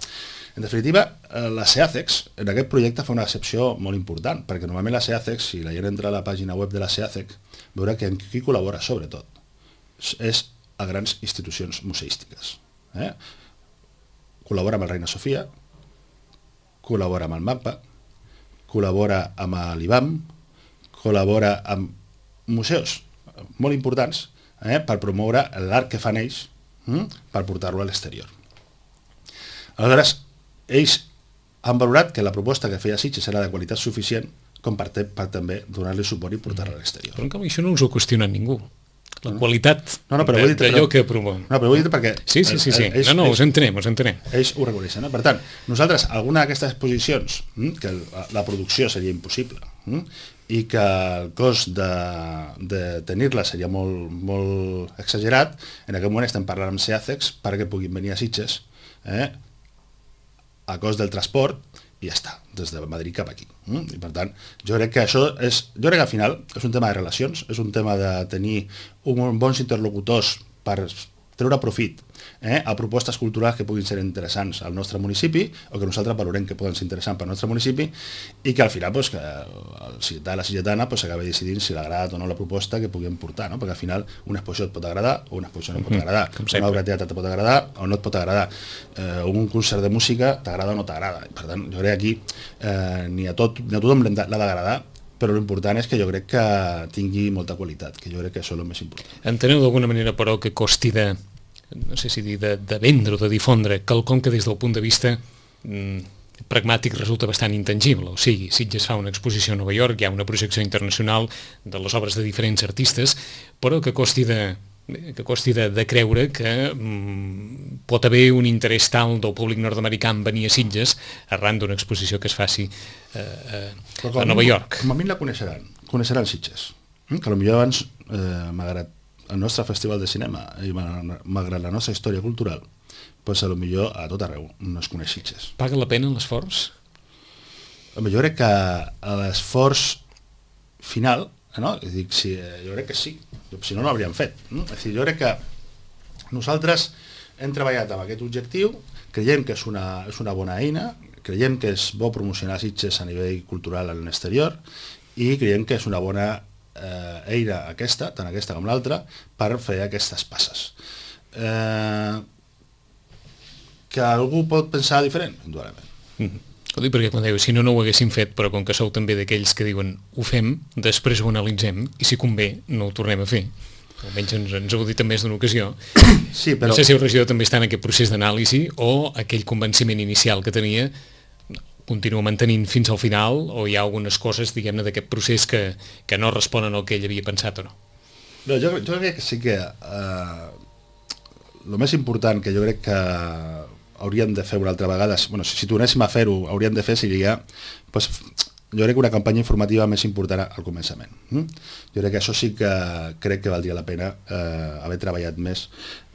en definitiva la SEACEX en aquest projecte fa una excepció molt important, perquè normalment la SEACEX, si la gent entra a la pàgina web de la SEACEX, veurà que en qui col·labora sobretot és a grans institucions museístiques. Eh? Col·labora amb el Reina Sofia, col·labora amb el MAPA, col·labora amb l'I B A M, col·labora amb museus molt importants eh, per promoure l'art que fan ells hm, per portar-lo a l'exterior. Aleshores, ells han valorat que la proposta que feia Sitges era de qualitat suficient com per, te, per també donar-li suport i portar-la a l'exterior. Però en canvi això no us ho ha qüestionat ningú. La qualitat no, no, d'allò que promouen. No, però ho he dit perquè... Sí, sí, sí, sí. Ells, no, no, ells, us entenem, us entenem. Ells ho reconeixen. No? Per tant, nosaltres, alguna d'aquestes exposicions, que la producció seria impossible, i que el cost de, de tenir-la seria molt, molt exagerat, en aquest moment estem parlant amb SEACEX perquè puguin venir a Sitges eh, a cost del transport i ja està, des de Madrid cap aquí. I per tant, jo crec que això és, jo crec que al final és un tema de relacions, és un tema de tenir un, bons interlocutors per treure profit eh, a propostes culturals que puguin ser interessants al nostre municipi o que nosaltres valorem que poden ser interessants pel nostre municipi i que al final pues, que el ciutadà, la ciutadana pues, s'acabi decidint si l'agrada o no la proposta que puguem portar, no? Perquè al final una exposició et pot agradar o una exposició no et pot agradar, mm-hmm, una obra de teatre et pot agradar o no et pot agradar, eh, un concert de música t'agrada o no t'agrada. Per tant, jo crec que aquí eh, ni, a tot, ni a tothom l'ha d'agradar, però l'important és que jo crec que tingui molta qualitat, que jo crec que això és el més important. Enteneu d'alguna manera, però, que costi de, no sé si dir, de, de vendre o de difondre quelcom que des del punt de vista mm, pragmàtic resulta bastant intangible. O sigui, Sitges fa una exposició a Nova York, hi ha una projecció internacional de les obres de diferents artistes, però que costi de, que costi de, de creure que mm, pot haver un interès tal del públic nord-americà en venir a Sitges arran d'una exposició que es faci eh, a, a Nova York. Com a mi la coneixeran, coneixeran Sitges, que potser abans, eh, malgrat el nostre festival de cinema i malgrat la nostra història cultural, pues a lo millor a tot arreu no es coneix Sitges. Paga la pena l'esforç? Jo crec que l'esforç final, no? Dic, sí, jo crec que sí, si no, no l'hauríem fet. No? És dir, jo crec que nosaltres hem treballat amb aquest objectiu, creiem que és una, és una bona eina, creiem que és bo promocionar Sitges a nivell cultural en l'exterior i creiem que és una bona eh, eina aquesta, tant aquesta com l'altra, per fer aquestes passes. Eh, que algú pot pensar diferent, indudablement. Mm-hmm. Ho dic perquè quan dèieu, si no, no ho haguéssim fet, però com que sou també d'aquells que diuen ho fem, després ho analitzem, i si convé, no ho tornem a fer. Almenys ens, ens heu dit en més d'una ocasió. Sí, però... No sé si el regidor també està en aquest procés d'anàlisi o aquell convenciment inicial que tenia continua mantenint fins al final, o hi ha algunes coses, diguem-ne, d'aquest procés que, que no responen al que ell havia pensat o no? No, jo, jo crec que sí que eh, el més important que jo crec que hauríem de fer una altra vegada, bueno, si, si tornéssim a fer-ho, hauríem de fer seria, pues, jo crec que una campanya informativa més important al començament. Mm? Jo crec que això sí que crec que valdria la pena eh, haver treballat més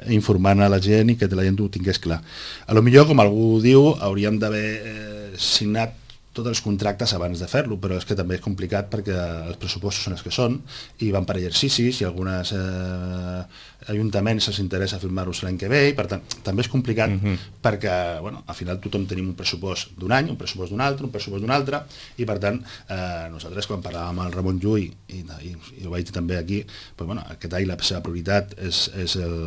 informant a la gent i que la gent ho tingués clar. A lo millor, com algú diu, hauríem d'haver eh, signat tots els contractes abans de fer-lo, però és que també és complicat perquè els pressupostos són els que són i van per exercicis i alguns eh, ajuntaments se'ls interessa filmar-los l'any que ve i per tant també és complicat uh-huh. perquè bueno, al final tothom tenim un pressupost d'un any, un pressupost d'un altre, un pressupost d'un altre i per tant eh, nosaltres quan parlàvem amb el Ramon Llull i, i, i ho vaig dir també aquí, pues, bueno, aquest any la seva prioritat és, és el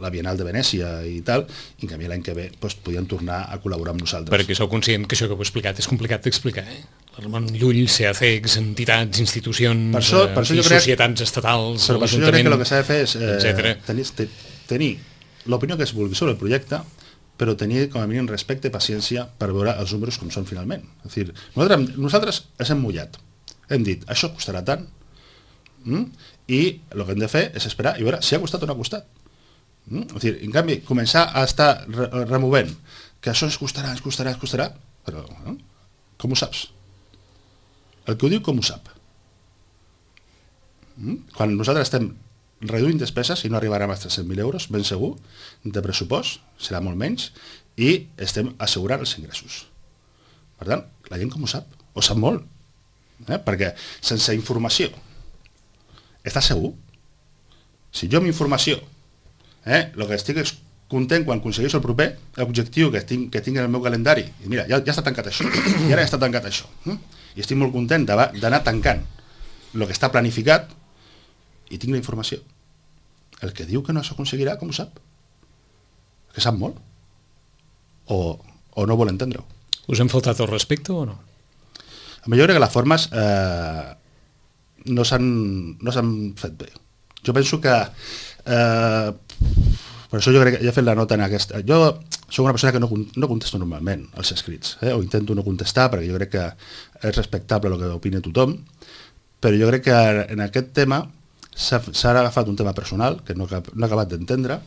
la Bienal de Venècia i tal, i en canvi l'any que ve doncs, podien tornar a col·laborar amb nosaltres. Perquè sou conscient que això que heu explicat és complicat d'explicar, eh? Ramon Llull, C A C E X, entitats, institucions, per això, per això eh, crec, societats estatals, però per això jo crec que el que s'ha de fer és eh, tenir, tenir l'opinió que es vulgui sobre el projecte, però tenir com a mínim respecte i paciència per veure els números com són finalment. És dir, nosaltres, nosaltres ens hem mullat, hem dit, això costarà tant, mm? i el que hem de fer és esperar i veure si ha costat o no ha costat. Mm? És dir, en canvi, començar a estar re removent que això es costarà, es costarà, es costarà, però no? Com ho saps? El que ho diu com ho sap? Mm? Quan nosaltres estem reduint despeses i no arribarem als tres-cents mil euros, ben segur, de pressupost, serà molt menys, i estem assegurant els ingressos. Per tant, la gent com ho sap? Ho sap molt. Eh? Perquè sense informació, estàs segur? Si jo amb informació Eh? El que estic és content quan aconsegueixo el proper objectiu que tinc, que tinc en el meu calendari i mira, ja, ja està tancat això i ara ja està tancat això eh? I estic molt content d'anar tancant el que està planificat i tinc la informació. El que diu que no s'aconseguirà, com ho sap? Que sap molt o, o no vol entendre-ho. Us han faltat el respecte o no? A mi jo crec que les formes eh, no s'han no s'han fet bé. Jo penso que Eh, per això jo crec que ja he fet la nota en aquesta. Jo soc una persona que no, no contesto normalment als escrits, eh? o intento no contestar perquè jo crec que és respectable el que opina tothom, però jo crec que en aquest tema s'ha agafat un tema personal que no, no he acabat d'entendre,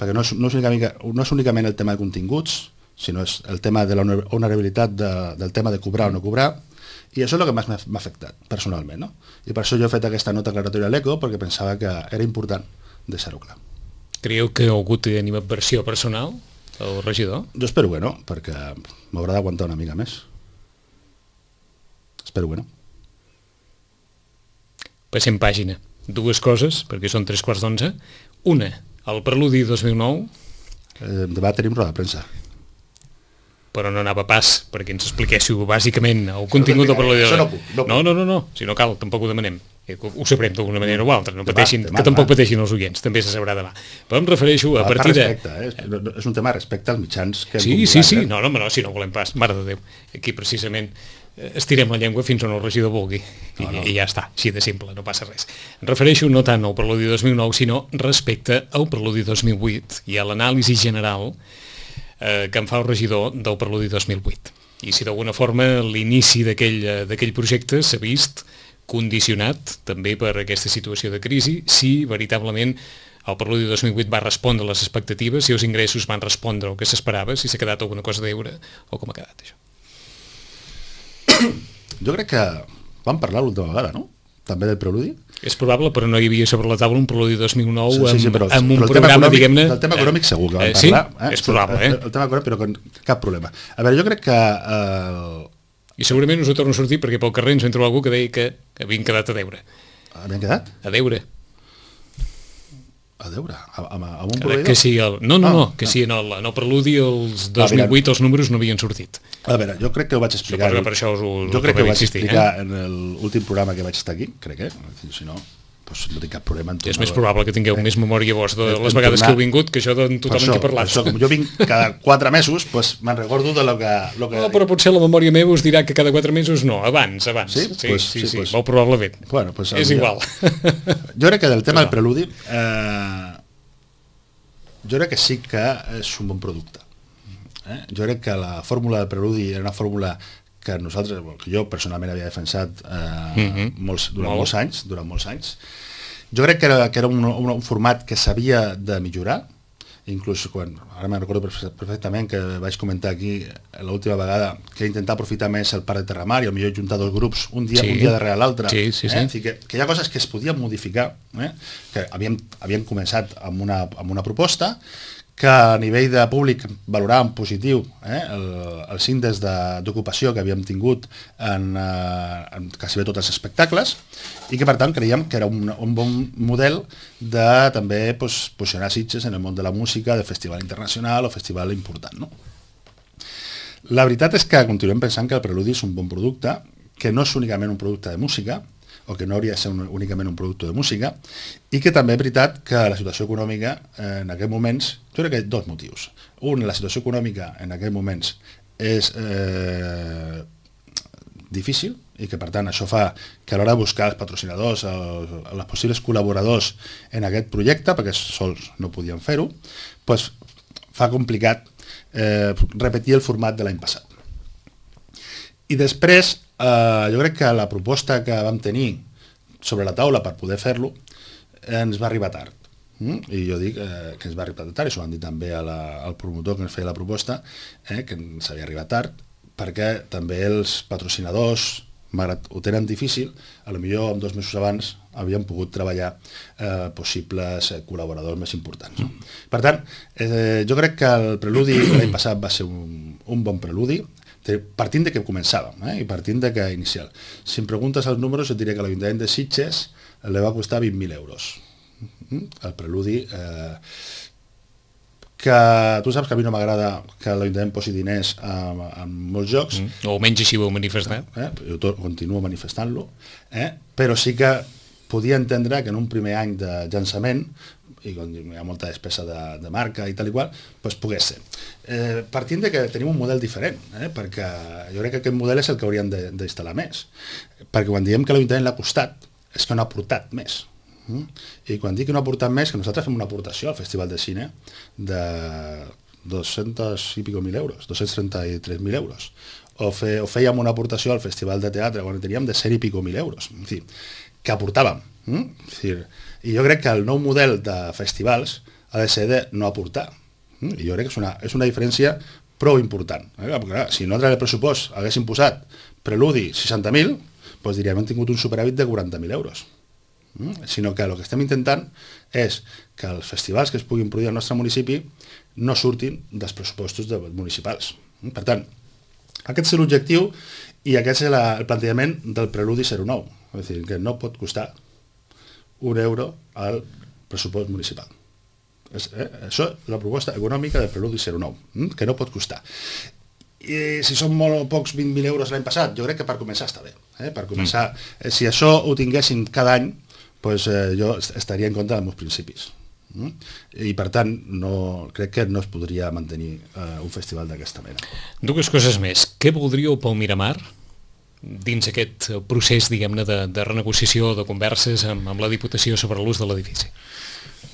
perquè no és, no, és únicament, no és únicament el tema de continguts, sinó és el tema de la honorabilitat de, del tema de cobrar o no cobrar, i això és el que més m'ha afectat personalment, no? I per això jo he fet aquesta nota aclaratòria a l'Eco, perquè pensava que era important deixar-ho clar. Creieu que ha hagut animadversió personal, el regidor? Jo espero que no, perquè m'haurà d'aguantar una mica més. Espero que no. Passem pàgina. Dues coses, perquè són tres quarts d'onze. Una, el Preludi dos mil nou. Eh, demà tenim roda de premsa. Però no anava pas perquè ens expliquéssiu bàsicament el contingut del Preludi. Això no puc. No, no, no, no, no, si no cal, tampoc ho demanem. Ho sabrem d'alguna manera o altra, no pateixin, demà, que tampoc demà. pateixin els oients, també se sabrà demà. Però em refereixo a partir de... Respecte, eh? És un tema respecte als mitjans que hem Sí, publicat, sí, sí, eh? no, no, no, si no volem pas, mare de Déu. Aquí precisament estirem la llengua fins on el regidor vulgui i, no, no. i ja està, així de simple, no passa res. Em refereixo no tant al Preludi dos mil nou, sinó respecte al Preludi dos mil vuit i a l'anàlisi general eh, que en fa el regidor del Preludi dos mil vuit. I si d'alguna forma l'inici d'aquell projecte s'ha vist condicionat també per aquesta situació de crisi, si veritablement el Preludi dos mil vuit va respondre a les expectatives, si els ingressos van respondre al que s'esperava, si s'ha quedat alguna cosa a deure o com ha quedat això. Jo crec que vam parlar l'última vegada, no? També del Preludi. És probable, però no hi havia sobre la taula un Preludi dos mil nou sí, sí, sí, però, amb, amb un però programa, diguem-ne... Del tema econòmic segur que vam eh, sí? parlar. Eh? És probable, eh? El, el tema econòmic, però con cap problema. A veure, jo crec que... Eh, I segurament us ho torno a sortir perquè pel carrer ens vam trobar algú que deia que havien quedat a deure. Havien quedat? A deure. A veure, amb, amb un Crec proveïdor? que sí, el... no, no, Ah, no, que no. sí, en el, en el preludi els dos mil vuit els números no havien sortit. A veure, jo crec que ho vaig explicar... Suposo que per això us ho, jo crec que ho vaig insistir, explicar eh? en l'últim programa que vaig estar aquí, crec, eh? Si no, doncs no tinc cap problema en tornar... És més probable que tingueu eh? més memòria vos de En les vegades tornar- que heu vingut que això de tothom això, en què he parlat. això, com jo vinc cada quatre mesos, doncs me'n recordo de lo que... Lo que No, però potser la memòria meva us dirà que cada quatre mesos no, abans, abans. Sí? sí, Pues- sí, sí, sí, pues- molt probablement. Bueno, pues, És igual. Jo crec que del tema Pues del preludi, eh, jo crec que sí que és un bon producte. Eh? Jo crec que la fórmula del preludi era una fórmula que nosaltres, que jo personalment havia defensat eh, Mhm. molts, durant Molt. molts anys, durant molts anys. Jo crec que era, que era un, un, un format que s'havia de millorar, inclús quan, ara me'n recordo perfectament que vaig comentar aquí l'última vegada que intentar aprofitar més el parc de Terramar i potser juntar dos grups un dia, Sí. un dia darrere l'altre. Sí, sí, sí. Eh? Que, que hi ha coses que es podien modificar, eh? Que havíem, havíem començat amb una, amb una proposta que a nivell de públic valoràvem positiu eh? el, els índexs de- d'ocupació que havíem tingut en, eh, en quasi bé tots els espectacles i que per tant creiem que era un, un bon model de també pues, posicionar Sitges en el món de la música, de festival internacional o festival important. No? La veritat és que continuem pensant que el Preludi és un bon producte, que no és únicament un producte de música, o que no hauria de ser un, únicament un producte de música, i que també és veritat que la situació econòmica eh, en aquests moments, jo crec que hi ha dos motius. Un, la situació econòmica en aquests moments és eh, difícil, i que per tant això fa que a l'hora de buscar els patrocinadors, els, els possibles col·laboradors en aquest projecte, perquè sols no podien fer-ho, doncs fa complicat eh, repetir el format de l'any passat. I després, eh, jo crec que la proposta que vam tenir sobre la taula per poder fer-lo ens va arribar tard. Mm? I jo dic eh, que ens va arribar tard, i s'ho van dir també a la, al promotor que ens feia la proposta, eh, que ens havia arribat tard, perquè també els patrocinadors, malgrat ho tenen difícil, a lo millor dos mesos abans havien pogut treballar eh, possibles eh, col·laboradors més importants. No? Per tant, eh, jo crec que el preludi l'any passat va ser un, un bon preludi, partint de que començàvem eh, i partint de que inicial. Si em preguntes els números et diré que l'Ajuntament de Sitges li va costar vint mil euros. El preludi... Eh, que tu saps que a mi no m'agrada que l'Ajuntament posi diners en, en molts jocs, Mm. O almenys així ho heu manifestat. eh? Jo to- continuo manifestant-lo, eh? però sí que podia entendre que en un primer any de llançament, i quan hi ha molta despesa de, de marca i tal i qual, doncs pogués ser. Eh, partint de que tenim un model diferent, eh? perquè jo crec que aquest model és el que hauríem de- d'instal·lar més, perquè quan diem que l'Ajuntament l'ha costat, és que no ha aportat més. Mm? I quan dic que no ha aportat més, que nosaltres fem una aportació al Festival de Cine de dos-cents i pico mil euros, dos-cents trenta-tres mil euros. O, fe, o fèiem una aportació al Festival de Teatre quan teníem de cent i pico mil euros. En fi, que aportàvem. Mm? És dir, I jo crec que el nou model de festivals ha de ser de no aportar. Mm? I jo crec que és una, és una diferència prou important. Eh? Perquè, clar, si nosaltres el pressupost haguéssim posat preludi seixanta mil, doncs diríem hem tingut un superàvit de quaranta mil euros. Mm? Sinó que el que estem intentant és que els festivals que es puguin produir al nostre municipi no surtin dels pressupostos de municipals. Mm? Per tant, aquest és l'objectiu i aquest és la, el plantejament del Preludi zero nou. És a dir, que no pot costar un euro al pressupost municipal. És, eh? Això és la proposta econòmica del Preludi zero nou, mm? que no pot costar. I si són molt pocs vint mil euros l'any passat, jo crec que per començar està bé. Eh? Per començar, eh, si això ho tinguéssim cada any, pues, eh, jo estaria en contra dels meus principis. Mm? I per tant, no, crec que no es podria mantenir eh, un festival d'aquesta mena. Dues coses més. Què voldríeu pel Miramar dins aquest procés, diguem-ne, de, de renegociació, de converses amb, amb la Diputació sobre l'ús de l'edifici?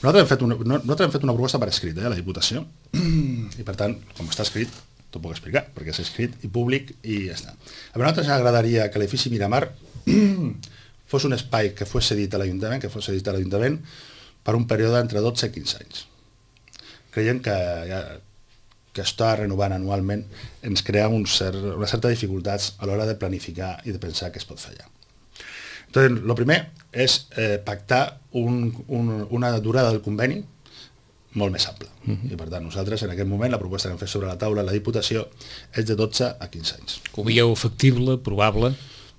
Nosaltres hem fet una, no, nosaltres hem fet una proposta per escrit, eh, a la Diputació, i per tant, com està escrit, t'ho puc explicar, perquè és escrit i públic i ja està. A nosaltres ens agradaria que l'edifici Miramar fos un espai que fos cedit a l'Ajuntament, que fos cedit a l'Ajuntament per un període entre dotze i quinze anys. Creiem que, ja, que està renovant anualment ens crea un cert, una certa dificultats a l'hora de planificar i de pensar què es pot fer allà. Entonces, lo primer és eh, pactar un, un, una durada del conveni molt més ample. Uh-huh. I per tant, nosaltres en aquest moment la proposta que hem fet sobre la taula la Diputació és de dotze a quinze anys. Ho veieu factible, probable?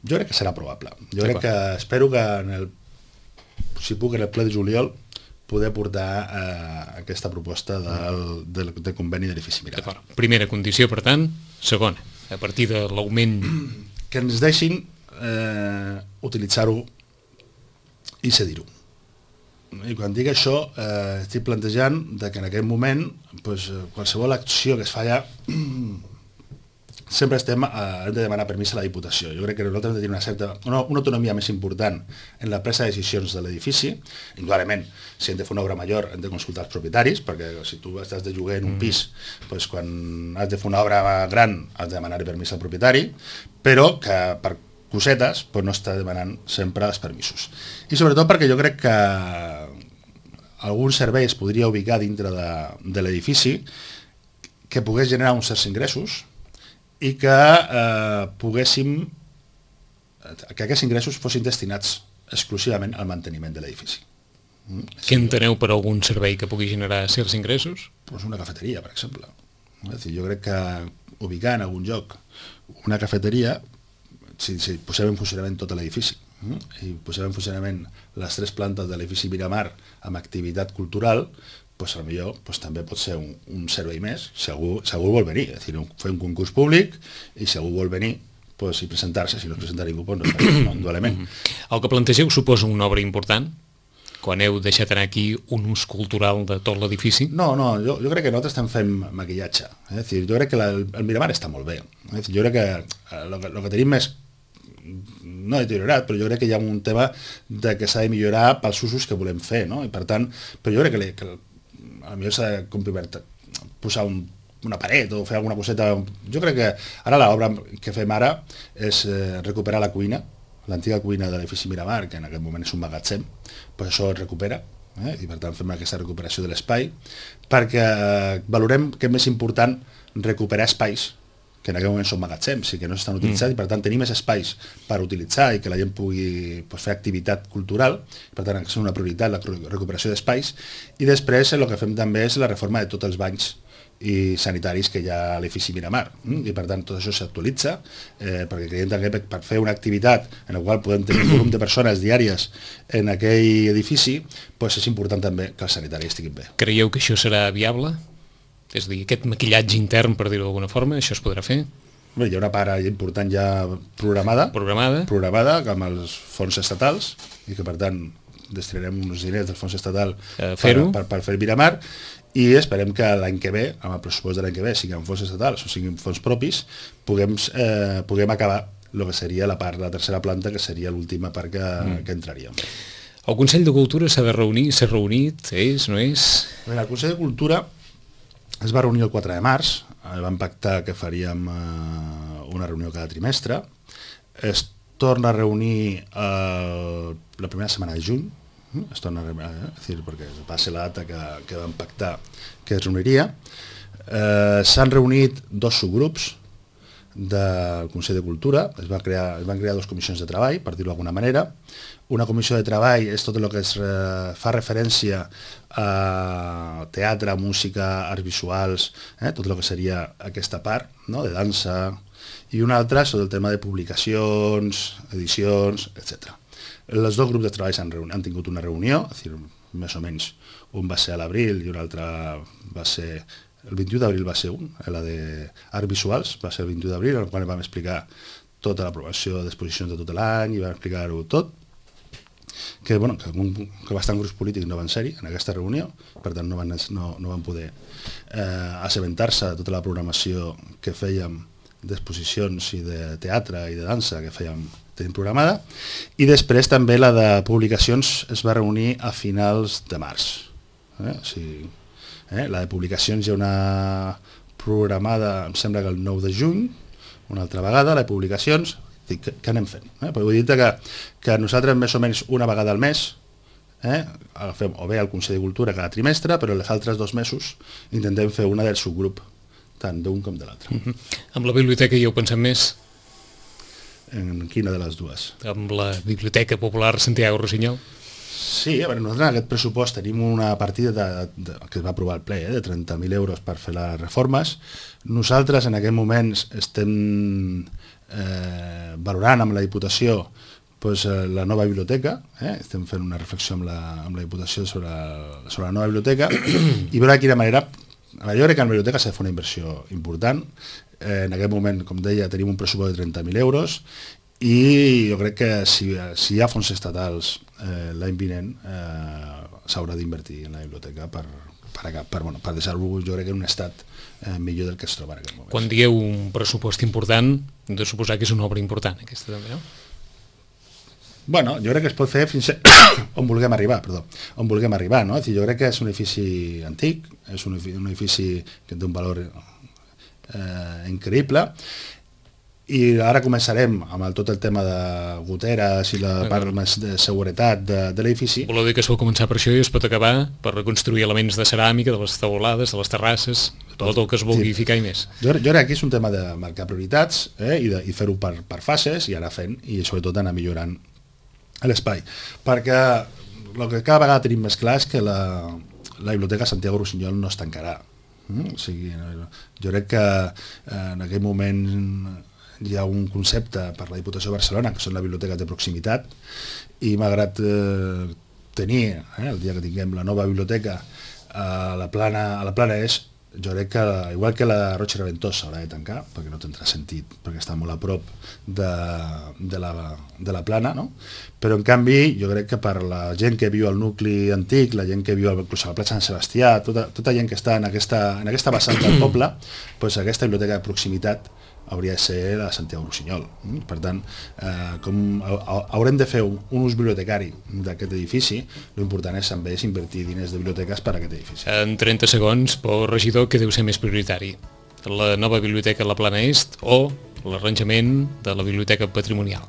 Jo crec que serà probable. Jo crec que espero que en el, si puc en el ple de juliol poder portar eh, aquesta proposta del, del, del conveni de l'edifici Miramar. Primera condició, per tant. Segona, a partir de l'augment... Que ens deixin eh, utilitzar-ho i cedir-ho. I quan dic això, eh, estic plantejant de que en aquest moment pues, qualsevol acció que es fa allà sempre estem, eh, hem de demanar permís a la Diputació. Jo crec que nosaltres hem de tenir una certa, una, una autonomia més important en la presa de decisions de l'edifici. Indudablement, si hem de fer una obra major hem de consultar els propietaris, perquè si tu estàs de lloguer en un pis, pues, quan has de fer una obra gran has de demanar permís al propietari, però que per cosetes pues, no està demanant sempre els permisos. I sobretot perquè jo crec que algun servei es podria ubicar dintre de, de l'edifici que pogués generar uns certs ingressos i que eh, poguéssim que aquests ingressos fossin destinats exclusivament al manteniment de l'edifici. Mm? Què enteneu per algun servei que pugui generar certs ingressos? Pues una cafeteria, per exemple. És dir, jo crec que ubicar en algun lloc una cafeteria, si, si posem en funcionament tot l'edifici mm? i posem en funcionament les tres plantes de l'edifici Miramar amb activitat cultural, pues, potser pues, també pot ser un, un servei més, si algú, si algú vol venir, és dir, fer un concurs públic i si algú vol venir pues, i presentar-se, si no es presenta ningú, pues, no, no, indudablement. El que plantegeu suposa una obra important? Quan heu deixat anar aquí un ús cultural de tot l'edifici? No, no, jo, jo crec que nosaltres estem fent maquillatge. Eh? És dir, jo crec que la, el Miramar està molt bé. És dir, jo crec que el que, que tenim és no deteriorat, però jo crec que hi ha un tema de que s'ha de millorar pels usos que volem fer, no? I per tant, però jo crec que, que a millor s'ha de posar un, una paret o fer alguna coseta. Jo crec que ara l'obra que fem ara és eh, recuperar la cuina, l'antiga cuina de l'edifici Miramar, que en aquest moment és un magatzem, pues això es recupera, eh? I per tant fem aquesta recuperació de l'espai, perquè valorem que és més important recuperar espais que en aquest moment són magatzems i que no s'estan utilitzant, mm. i per tant tenir més espais per utilitzar i que la gent pugui pues, fer activitat cultural, per tant és una prioritat la recuperació d'espais, i després el que fem també és la reforma de tots els banys i sanitaris que hi ha a l'edifici Miramar, mm? I per tant tot això s'actualitza, eh, perquè creiem també per, per fer una activitat en la qual podem tenir un volum de persones diàries en aquell edifici, pues és important també que els sanitaris estiguin bé. Creieu que això serà viable? És a dir, aquest maquillatge intern, per dir-ho d'alguna forma, això es podrà fer? Bé, hi ha una part important ja programada, programada, programada amb els fons estatals, i que per tant destinarem uns diners del fons estatal eh, per, per, per fer Miramar, i esperem que l'any que ve, amb el pressupost de l'any que ve, siguin fons estatals o siguin fons propis, puguem, eh, puguem acabar el que seria la part, la tercera planta, que seria l'última part que, mm. que entraríem. El Consell de Cultura s'ha de reunir, s'ha reunit, és, no és? Bé, el Consell de Cultura es va reunir el quatre de març, vam pactar que faríem eh, una reunió cada trimestre, es torna a reunir eh, la primera setmana de juny, es torna a reunir, eh, és dir, perquè va ser la data que, que vam pactar que es reuniria. Eh, S'han reunit dos subgrups del Consell de Cultura, es, va crear, es van crear dues comissions de treball, per dir-ho d'alguna manera. Una comissió de treball és tot el que es eh, fa referència a teatre, música, arts visuals, eh, tot el que seria aquesta part, no?, de dansa, i una altra sobre el tema de publicacions, edicions, etcètera. Els dos grups de treball han, han tingut una reunió, és dir, més o menys un va ser a l'abril i un altre va ser... El vint-i-u d'abril va ser un, la d'arts visuals, va ser el vint-i-u d'abril, en el qual vam explicar tota l'aprovació d'exposicions de tot l'any i vam explicar-ho tot, que, bueno, que, un, que bastant grups polítics no van ser-hi en aquesta reunió, per tant no van, no, no van poder eh, assabentar-se de tota la programació que fèiem d'exposicions i de teatre i de dansa que fèiem tenim programada, i després també la de publicacions es va reunir a finals de març. Eh? O sigui, eh? La de publicacions hi ha una programada, em sembla que el nou de juny, una altra vegada, la de publicacions, dic, que, que anem fent. Eh? Però vull dir que, que nosaltres més o menys una vegada al mes eh? agafem o bé el Consell de Cultura cada trimestre, però els altres dos mesos intentem fer una del subgrup, tant d'un com de l'altre. Mm-hmm. Amb la biblioteca hi heu pensat més? En quina de les dues? Amb la Biblioteca Popular Santiago Rossinyol? Sí, a veure, nosaltres en aquest pressupost tenim una partida de, de, que es va aprovar al ple, eh, de trenta mil euros per fer les reformes. Nosaltres en aquest moment estem eh, valorant amb la Diputació pues, la nova biblioteca, eh? estem fent una reflexió amb la, amb la Diputació sobre, sobre la nova biblioteca i veure de quina manera, jo crec que en la biblioteca s'ha de fer una inversió important, eh, en aquest moment, com deia, tenim un pressupost de trenta mil euros i jo crec que si, si hi ha fons estatals eh, l'any vinent eh, s'haurà d'invertir en la biblioteca per, per, per, bueno, per deixar-lo, jo crec, en un estat eh, millor del que es troba en aquest moment. Quan dieu un pressupost important, hem de suposar que és una obra important, aquesta també, no? Bueno, jo crec que es pot fer fins a on vulguem arribar, perdó, on vulguem arribar, no? Jo crec que és un edifici antic, és un edifici que té un valor eh, increïble, i ara començarem amb el, tot el tema de goteres i la part més de seguretat de, de l'edifici. Voleu dir que es pot començar per això i es pot acabar per reconstruir elements de ceràmica, de les taulades, de les terrasses, tot el que es vulgui sí. ficar i més. Jo, jo crec que és un tema de marcar prioritats eh, i, de, i fer-ho per, per fases i anar fent i sobretot anar millorant l'espai, perquè el que cada vegada tenim més clar és que la, la Biblioteca Santiago Rusiñol no es tancarà. Mm? O sigui, jo crec que eh, en aquell moment hi ha un concepte per la Diputació de Barcelona, que són les biblioteques de proximitat, i malgrat eh, tenir, eh, el dia que tinguem la nova biblioteca a la plana, a la plana és, jo crec que, igual que la Roig i Reventós s'haurà de tancar, perquè no tindrà sentit, perquè està molt a prop de, de, la, de la plana, no? Però en canvi jo crec que per la gent que viu al nucli antic, la gent que viu al, a la plaça Sant Sebastià, tota, tota gent que està en aquesta, en aquesta vessant del poble, doncs aquesta biblioteca de proximitat hauria de ser la Santiago Rusiñol. Per tant, eh, com haurem de fer un, un ús bibliotecari d'aquest edifici, l'important és també és invertir diners de biblioteques per a aquest edifici. En trenta segons, Pau regidor, què deu ser més prioritari? La nova biblioteca a la Plana Est o l'arranjament de la biblioteca patrimonial?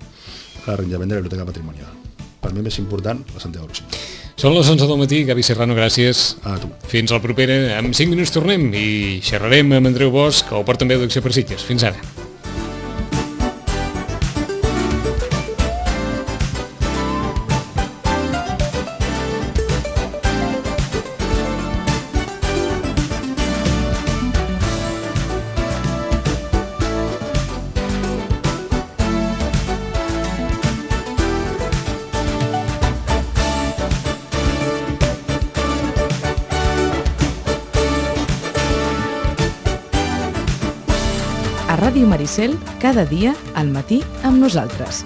L'arranjament de la biblioteca patrimonial. Per mi més important, la Santiago Rusiñol. Són les onze del matí, Gavi Serrano, gràcies. A tu. Fins al proper, en cinc minuts tornem i xerrarem amb Andreu Bosch, el portaveu d'Acció per Sitges. Fins ara. A Ràdio Maricel, cada dia al matí amb nosaltres.